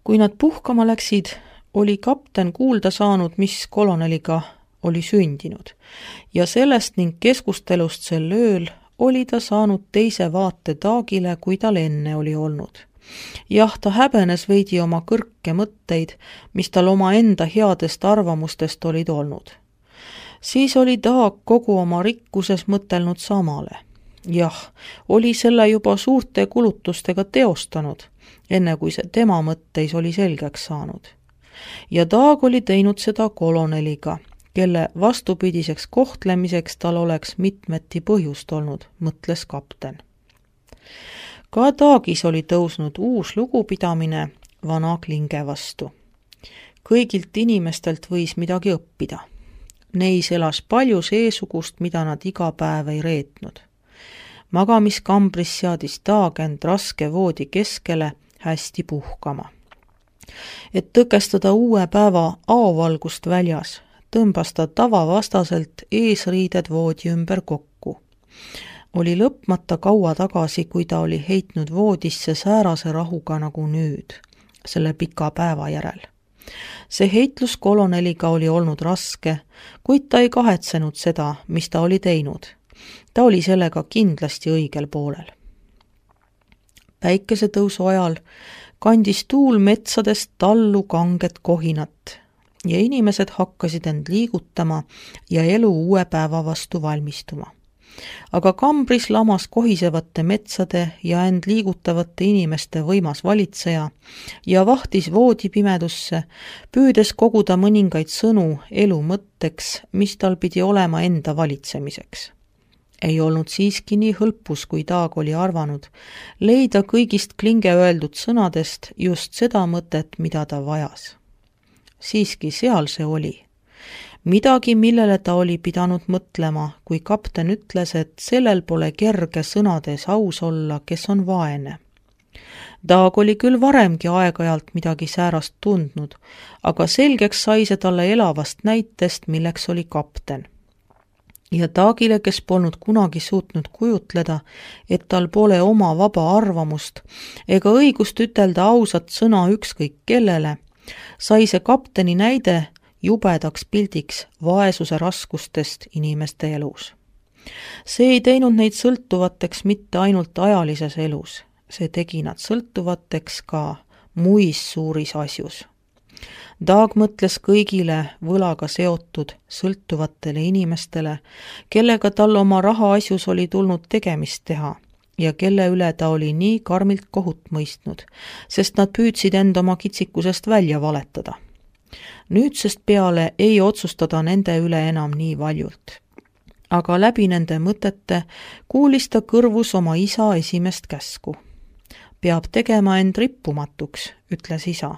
Kui nad puhkama läksid, oli kapten kuulda saanud, mis koloneliga oli sündinud, ja sellest ning keskustelust sel ööl oli ta saanud teise vaate Daagile, kui tal enne oli olnud. Jah, ta häbenes veidi oma kõrke mõtteid, mis tal oma enda headest arvamustest olid olnud. Siis oli Daag kogu oma rikkuses mõtelnud samale. Jah, oli selle juba suurte kulutustega teostanud, enne kui see tema mõtteis oli selgeks saanud. Ja Daag oli teinud seda koloneliga, kelle vastupidiseks kohtlemiseks tal oleks mitmeti põhjust olnud, mõtles kapten. Ka Daagis oli tõusnud uus lugupidamine vana Klinge vastu. Kõigilt inimestelt võis midagi õppida. Neis elas palju seesugust, mida nad iga päev ei reetnud. Magamiskambris seadis Daag end raske voodi keskele hästi puhkama. Et tõkestada uue päeva aovalgust väljas, tõmbas ta tavavastaselt eesriided voodi ümber kokku. Oli lõpmata kaua tagasi, kui ta oli heitnud voodisse säärase rahuga nagu nüüd, selle pika päeva järel. See heitlus koloneliga oli olnud raske, kuid ta ei kahetsenud seda, mis ta oli teinud. Ta oli sellega kindlasti õigel poolel. Päikesetõusu ajal kandis tuul metsadest tallu kanget kohinat ja inimesed hakkasid end liigutama ja elu uue päeva vastu valmistuma. Aga kambris lamas kohisevate metsade ja end liigutavate inimeste võimas valitseja ja vahtis voodipimedusse, püüdes koguda mõningaid sõnu elu mõtteks, mis tal pidi olema enda valitsemiseks. Ei olnud siiski nii hõlpus, kui Daag oli arvanud, leida kõigist Klinge öeldud sõnadest just seda mõtet, mida ta vajas. Siiski seal see oli. Midagi, millele ta oli pidanud mõtlema, kui kapten ütles, et sellel pole kerge sõnades aus olla, kes on vaene. Daag oli küll varemgi aeg-ajalt midagi säärast tundnud, aga selgeks sai see talle elavast näitest, milleks oli kapten. Ja Daagile, kes polnud kunagi suutnud kujutleda, et tal pole oma vaba arvamust ega õigust ütelda ausat sõna ükskõik kellele, sai see kapteni näide jubedaks pildiks vaesuse raskustest inimeste elus. See ei teinud neid sõltuvateks mitte ainult ajalises elus, see tegi nad sõltuvateks ka muis suuris asjus. Daag mõtles kõigile võlaga seotud sõltuvatele inimestele, kellega tal oma rahaasjus oli tulnud tegemist teha ja kelle üle ta oli nii karmilt kohut mõistnud, sest nad püüdsid end oma kitsikusest välja valetada. Nüüdsest peale ei otsustada nende üle enam nii valjult. Aga läbi nende mõtete kuulis ta kõrvus oma isa esimest käsku. Peab tegema end rippumatuks, ütles isa,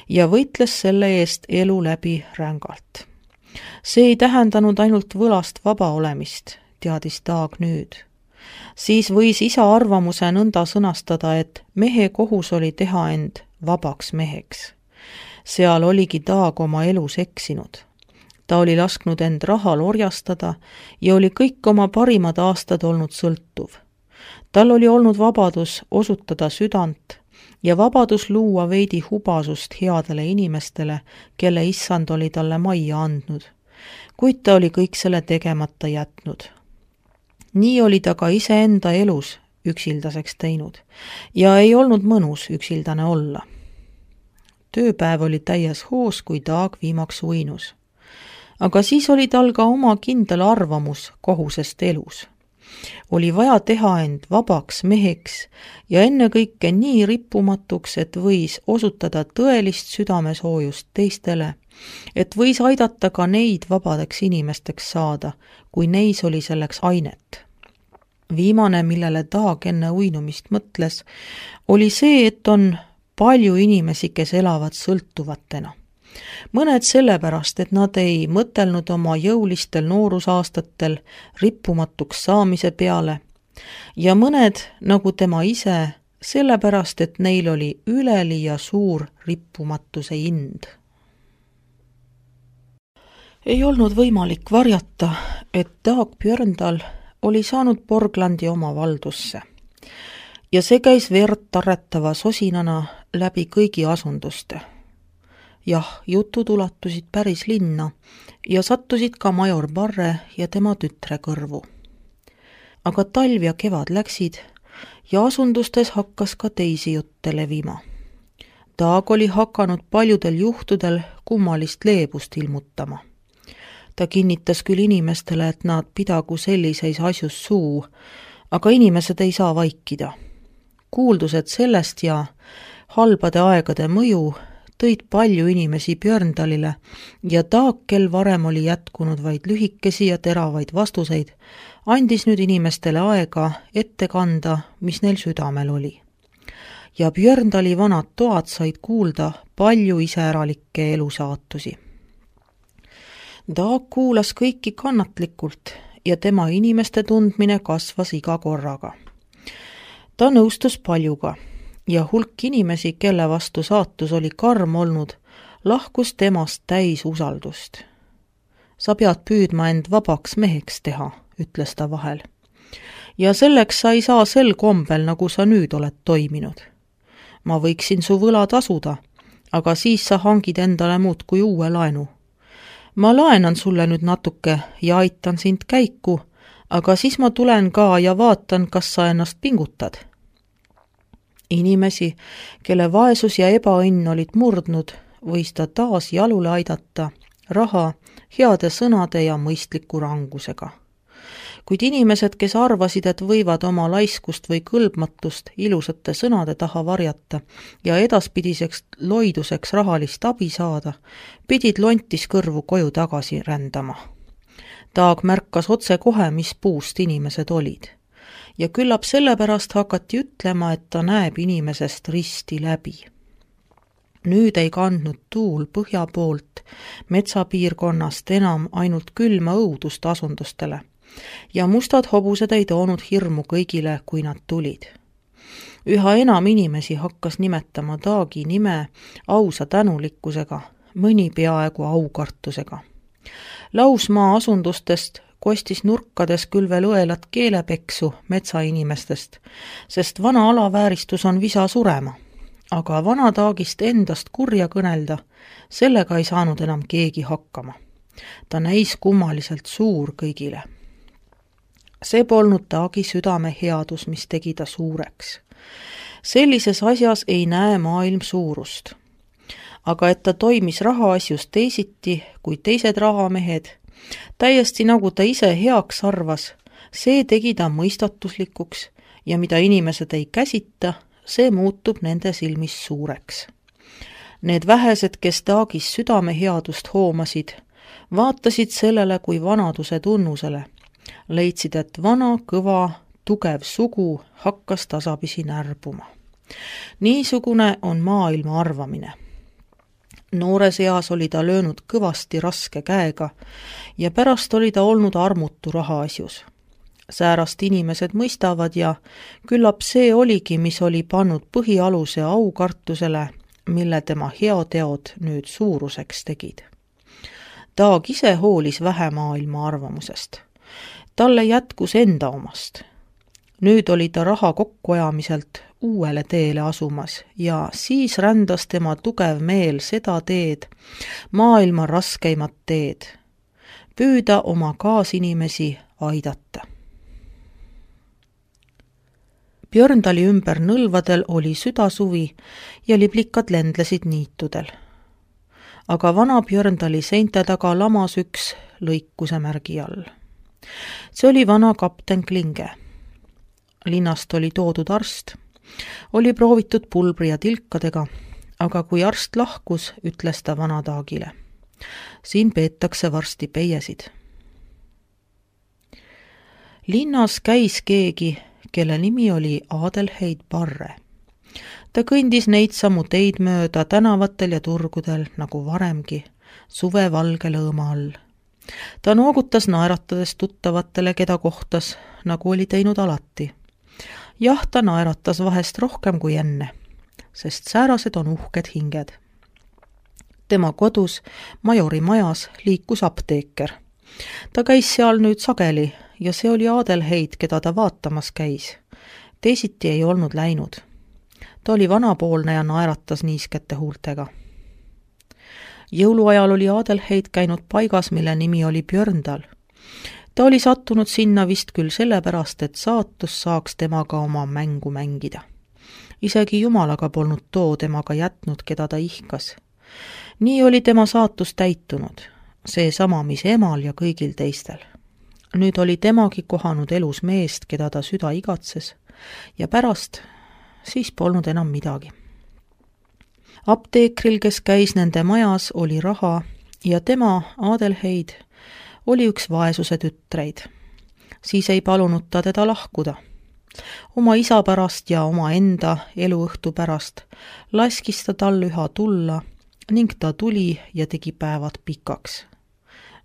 ja võitles selle eest elu läbi rängalt. See ei tähendanud ainult võlast vaba olemist, teadis Daag nüüd. Siis võis isa arvamuse nõnda sõnastada, et mehe kohus oli teha end vabaks meheks. Seal oligi Daag oma elus eksinud. Ta oli lasknud end rahal orjastada ja oli kõik oma parimad aastad olnud sõltuv. Tal oli olnud vabadus osutada südant ja vabadus luua veidi hubasust headele inimestele, kelle issand oli talle majja andnud, kuid ta oli kõik selle tegemata jätnud. Nii oli ta ka iseenda elus üksildaseks teinud ja ei olnud mõnus üksildane olla. Tööpäev oli täies hoos, kui Daag viimaks uinus. Aga siis oli tal ka oma kindel arvamus kohusest elus. Oli vaja teha end vabaks meheks ja ennekõike nii rippumatuks, et võis osutada tõelist südamesoojust teistele, et võis aidata ka neid vabadeks inimesteks saada, kui neis oli selleks ainet. Viimane, millele Daag enne uinumist mõtles, oli see, et on palju inimesi, kes elavad sõltuvatena. Mõned sellepärast, et nad ei mõtelnud oma jõulistel noorusaastatel rippumatuks saamise peale ja mõned, nagu tema ise, sellepärast, et neil oli üleliia suur rippumatuse ind. Ei olnud võimalik varjata, et Daag Björndal oli saanud Borglandi oma valdusse. Ja see käis verd tarretava sosinana, läbi kõigi asunduste. Jah, jutud ulatusid päris linna ja sattusid ka major Barre ja tema tütre kõrvu. Aga talv ja kevad läksid ja asundustes hakkas ka teisi jutte levima. Daag oli hakanud paljudel juhtudel kummalist leebust ilmutama. Ta kinnitas küll inimestele, et nad pidagu selliseis asjus suu, aga inimesed ei saa vaikida. Kuuldused sellest ja halbade aegade mõju tõid palju inimesi Björndalile ja Daag, kel varem oli jätkunud vaid lühikesi ja teravaid vastuseid, andis nüüd inimestele aega ette kanda, mis neil südamel oli. Ja Björndali vanad toad said kuulda palju iseäralikke elusaatusi. Daag kuulas kõiki kannatlikult ja tema inimeste tundmine kasvas iga korraga. Ta nõustus paljuga ja hulk inimesi, kelle vastu saatus oli karm olnud, lahkus temast täis usaldust. Sa pead püüdma end vabaks meheks teha, ütles ta vahel. Ja selleks sa ei saa sel kombel, nagu sa nüüd oled toiminud. Ma võiksin su võla tasuda, aga siis sa hangid endale muud kui uue laenu. Ma laenan sulle nüüd natuke ja aitan sind käiku, aga siis ma tulen ka ja vaatan, kas sa ennast pingutad. Inimesi, kelle vaesus ja ebaõnn olid murdnud, võis ta taas jalule aidata raha, heade sõnade ja mõistliku rangusega. Kuid inimesed, kes arvasid, et võivad oma laiskust või kõlbmatust ilusate sõnade taha varjata ja edaspidiseks loiduseks rahalist abi saada, pidid lontis kõrvu koju tagasi rändama. Daag märkas otse kohe, mis puust inimesed olid. Ja küllap sellepärast hakati ütlema, et ta näeb inimesest risti läbi. Nüüd ei kandnud tuul põhja poolt metsapiirkonnast enam ainult külma õudust asundustele ja mustad hobused ei toonud hirmu kõigile, kui nad tulid. Üha enam inimesi hakkas nimetama Daagi nime ausa tänulikkusega, mõni peaaegu aukartusega. Lausmaa asundustest kostis nurkades küll veel õelat keelepeksu metsainimestest, sest vana alavääristus on visa surema, aga vana Daagist endast kurja kõnelda, sellega ei saanud enam keegi hakkama. Ta näis kummaliselt suur kõigile. See polnud Daagi südame headus, mis tegi ta suureks. Sellises asjas ei näe maailm suurust. Aga et ta toimis rahaasjus teisiti kui teised rahamehed, täiesti nagu ta ise heaks arvas, see tegi ta mõistatuslikuks ja mida inimesed ei käsita, see muutub nende silmis suureks. Need vähesed, kes Daagis südame headust hoomasid, vaatasid sellele kui vanaduse tunnusele, leidsid, et vana, kõva, tugev sugu hakkas tasapisi närbuma. Niisugune on maailma arvamine. Noores eas oli ta löönud kõvasti raske käega ja pärast oli ta olnud armutu rahaasjus. Säärast inimesed mõistavad ja küllap see oligi, mis oli pannud põhialuse aukartusele, mille tema heateod nüüd suuruseks tegid. Daag ise hoolis vähe maailma arvamusest. Talle jätkus enda omast. Nüüd oli ta raha kokkuajamiselt uuele teele asumas ja siis rändas tema tugev meel seda teed, maailma raskeimat teed, püüda oma kaasinimesi aidata. Björndali ümber nõlvadel oli südasuvi ja liblikad lendlesid niitudel. Aga vana Björndali seinte taga lamas üks lõikuse märgi all. See oli vana kapten Klinge. Linnast oli toodud arst, oli proovitud pulbri ja tilkadega, aga kui arst lahkus, ütles ta vana Daagile. Siin peetakse varsti peiesid. Linnas käis keegi, kelle nimi oli Adelheid Barre. Ta kõndis neid samu teid mööda tänavatel ja turgudel nagu varemgi, suve valge lõõma all. Ta noogutas naeratades tuttavatele, keda kohtas, nagu oli teinud alati. Jah, ta naeratas vahest rohkem kui enne, sest säärased on uhked hinged. Tema kodus, majori majas, liikus apteeker. Ta käis seal nüüd sageli ja see oli Adelheid, keda ta vaatamas käis. Teisiti ei olnud läinud. Ta oli vanapoolne ja naeratas niiskete huultega. Jõuluajal oli Adelheid käinud paigas, mille nimi oli Björndal. Ta oli sattunud sinna vist küll sellepärast, et saatus saaks temaga oma mängu mängida. Isegi Jumalaga polnud too temaga jätnud, keda ta ihkas. Nii oli tema saatus täitunud, seesama, mis emal ja kõigil teistel. Nüüd oli temagi kohanud elus meest, keda ta süda igatses, ja pärast siis polnud enam midagi. Apteekril, kes käis nende majas, oli raha ja tema, Adelheid, oli üks vaesuse tütreid. Siis ei palunud ta teda lahkuda. Oma isa pärast ja oma enda eluõhtu pärast laskis ta tal üha tulla ning ta tuli ja tegi päevad pikaks.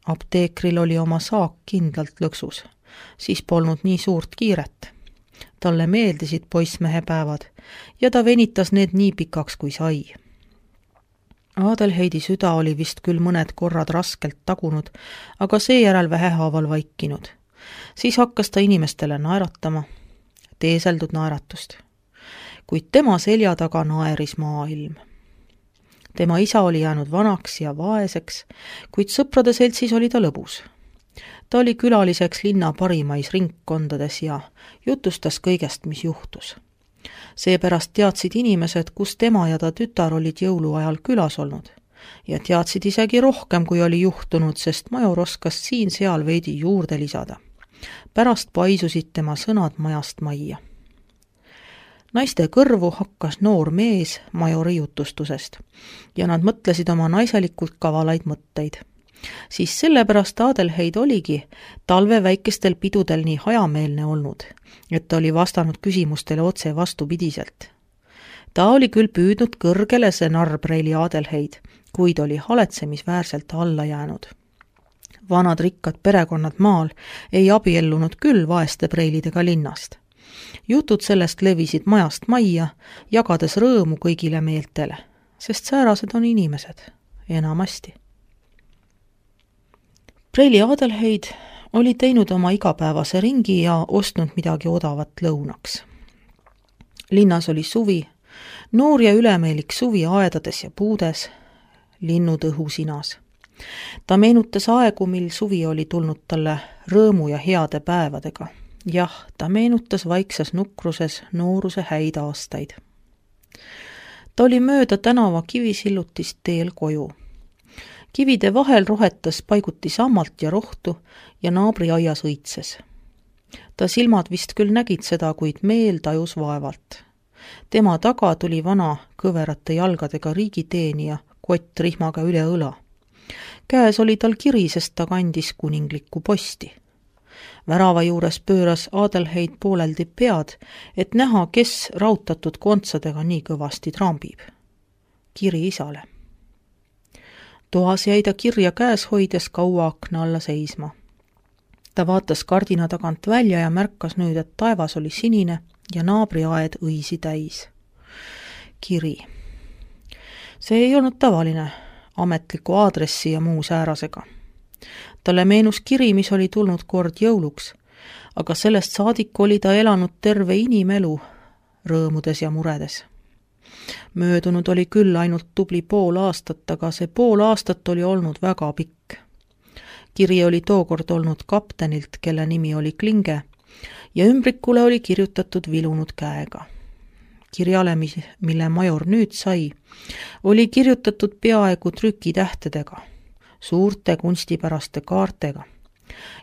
Apteekril oli oma saak kindlalt lõksus, siis polnud nii suurt kiiret. Talle meeldisid poissmehe päevad ja ta venitas need nii pikaks kui sai. Adelheidi süda oli vist küll mõned korrad raskelt tagunud, aga seejärel vähehaaval vaikinud. Siis hakkas ta inimestele naeratama, teeseldud naeratust. Kuid tema selja taga naeris maailm. Tema isa oli jäänud vanaks ja vaeseks, kuid sõprade seltsis oli ta lõbus. Ta oli külaliseks linna parimais ringkondades ja jutustas kõigest, mis juhtus. Seepärast teadsid inimesed, kus tema ja ta tütar olid jõuluajal külas olnud ja teadsid isegi rohkem, kui oli juhtunud, sest major oskas siin-seal veidi juurde lisada. Pärast paisusid tema sõnad majast majja. Naiste kõrvu hakkas noor mees majori jutustusest ja nad mõtlesid oma naiselikult kavalaid mõtteid. Siis sellepärast Adelheid oligi talve väikestel pidudel nii hajameelne olnud, et ta oli vastanud küsimustele otse vastupidiselt. Ta oli küll püüdnud kõrgele see narpreili Adelheid, kuid oli haletsemisväärselt alla jäänud. Vanad rikkad perekonnad maal ei abiellunud küll vaeste preilidega linnast. Jutud sellest levisid majast majja, jagades rõõmu kõigile meeltele, sest säärased on inimesed, enamasti. Preili Adelheid oli teinud oma igapäevase ringi ja ostnud midagi odavat lõunaks. Linnas oli suvi, noor ja ülemeelik suvi aedades ja puudes, linnud õhusinas. Ta meenutas aegu, mil suvi oli tulnud talle rõõmu ja heade päevadega. Jah, ta meenutas vaikses nukruses nooruse häid aastaid. Ta oli mööda tänava kivisillutist teel koju. Kivide vahel rohetas paiguti sammalt ja rohtu ja naabri aias õitses. Ta silmad vist küll nägid seda, kuid meel tajus vaevalt. Tema taga tuli vana kõverate jalgadega riigiteenija kott rihmaga üle õla. Käes oli tal kiri, sest ta kandis kuninglikku posti. Värava juures pööras Adelheid pooleldi pead, et näha, kes rautatud kontsadega nii kõvasti trambib. Kiri isale. Toas jäi ta kirja käes hoides kaua akna alla seisma. Ta vaatas kardina tagant välja ja märkas nüüd, et taevas oli sinine ja naabriaed õisi täis. Kiri. See ei olnud tavaline ametliku aadressi ja muu säärasega. Talle meenus kiri, mis oli tulnud kord jõuluks, aga sellest saadik oli ta elanud terve inimelu rõõmudes ja muredes. Möödunud oli küll ainult tubli pool aastat, aga see pool aastat oli olnud väga pikk. Kiri oli tookord olnud kaptenilt, kelle nimi oli Klinge, ja ümbrikule oli kirjutatud vilunud käega. Kirjale, mille major nüüd sai, oli kirjutatud peaaegu trükitähtedega, suurte kunstipäraste kaartega.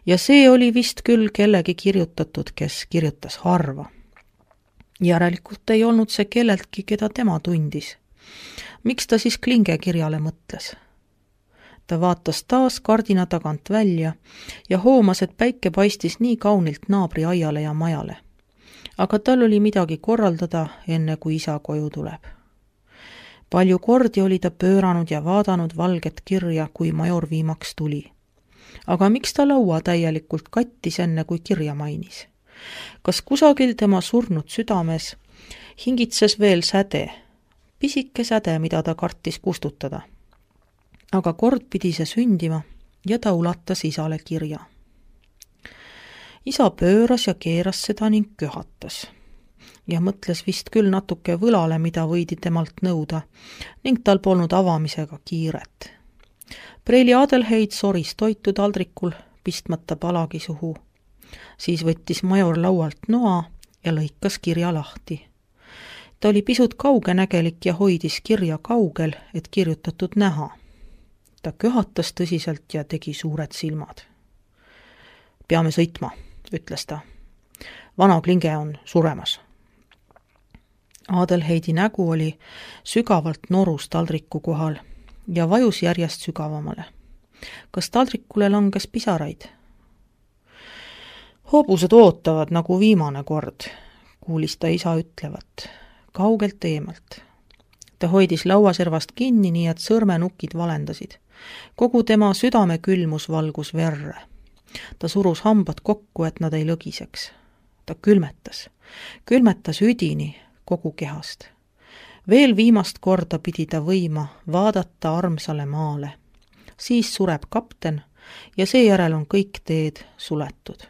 Ja see oli vist küll kellegi kirjutatud, kes kirjutas harva. Järelikult ei olnud see kelleltki, keda tema tundis. Miks ta siis Klinge kirjale mõtles? Ta vaatas taas kardina tagant välja ja hoomas, et päike paistis nii kaunilt naabri aiale ja majale. Aga tal oli midagi korraldada, enne kui isa koju tuleb. Palju kordi oli ta pööranud ja vaadanud valget kirja, kui major viimaks tuli. Aga miks ta laua täielikult kattis, enne kui kirja mainis? Kas kusagil tema surnud südames hingitses veel säde, pisike säde, mida ta kartis kustutada? Aga kord pidi see sündima ja ta ulatas isale kirja. Isa pööras ja keeras seda ning köhatas. ja mõtles vist küll natuke võlale, mida võidi temalt nõuda, ning tal polnud avamisega kiiret. Preili Adelheid soris toitu taldrikul, pistmata palagi suhu. Siis võttis major laualt noa ja lõikas kirja lahti. Ta oli pisut kaugenägelik ja hoidis kirja kaugel, et kirjutatud näha. Ta köhatas tõsiselt ja tegi suured silmad. Peame sõitma, ütles ta. Vana Klinge on suremas. Adelheidi nägu oli sügavalt norus taldriku kohal ja vajus järjest sügavamale. Kas taldrikule langes pisaraid? Hobused ootavad nagu viimane kord, kuulis ta isa ütlevat, kaugelt eemalt. Ta hoidis lauaservast kinni, nii et sõrmenukid valendasid. Kogu tema südame külmus valgus verre. Ta surus hambad kokku, et nad ei lõgiseks. Ta külmetas üdini kogu kehast. Veel viimast korda pidi ta võima vaadata armsale maale. Siis sureb kapten ja seejärel on kõik teed suletud.